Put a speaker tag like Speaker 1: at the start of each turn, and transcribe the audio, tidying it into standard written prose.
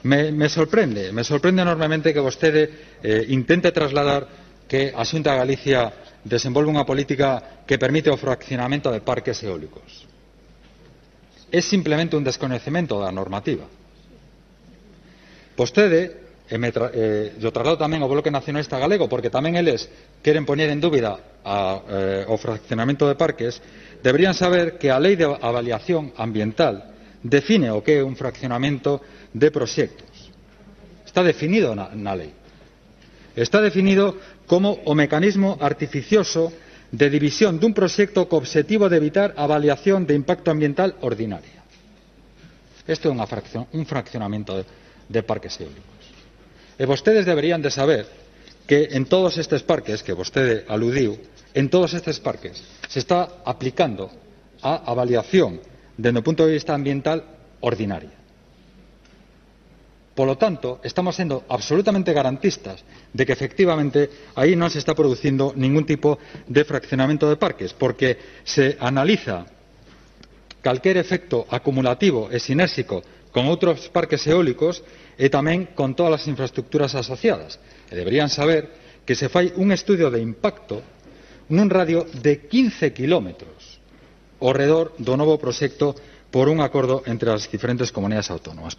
Speaker 1: Me sorprende enormemente que vostede intente trasladar que a Xunta de Galicia desenvolve unha política que permite o fraccionamento de parques eólicos. É simplemente un descoñecemento da normativa. Vostede, yo traslado tamén ao Bloque Nacionalista Galego, porque tamén eles queren poñer en dúbida o fraccionamento de parques, deberían saber que a Lei de Avaliación Ambiental define o que é un fraccionamento de proxectos. Está definido na lei. Está definido como o mecanismo artificioso de división dun proxecto co obxectivo de evitar a avaliación de impacto ambiental ordinaria. Isto é un fraccionamento de parques eólicos. E vostedes deberían de saber que en todos estes parques que vostede aludiu, en todos estes parques se está aplicando a avaliación dende o punto de vista ambiental ordinaria. Polo tanto, estamos sendo absolutamente garantistas de que efectivamente aí non se está producindo ningún tipo de fraccionamento de parques, porque se analiza calquer efecto acumulativo e sinérxico con outros parques eólicos e tamén con todas as infraestructuras asociadas. E deberían saber que se fai un estudio de impacto nun radio de 15 kilómetros ao redor do novo proxecto por un acordo entre as diferentes comunidades autónomas.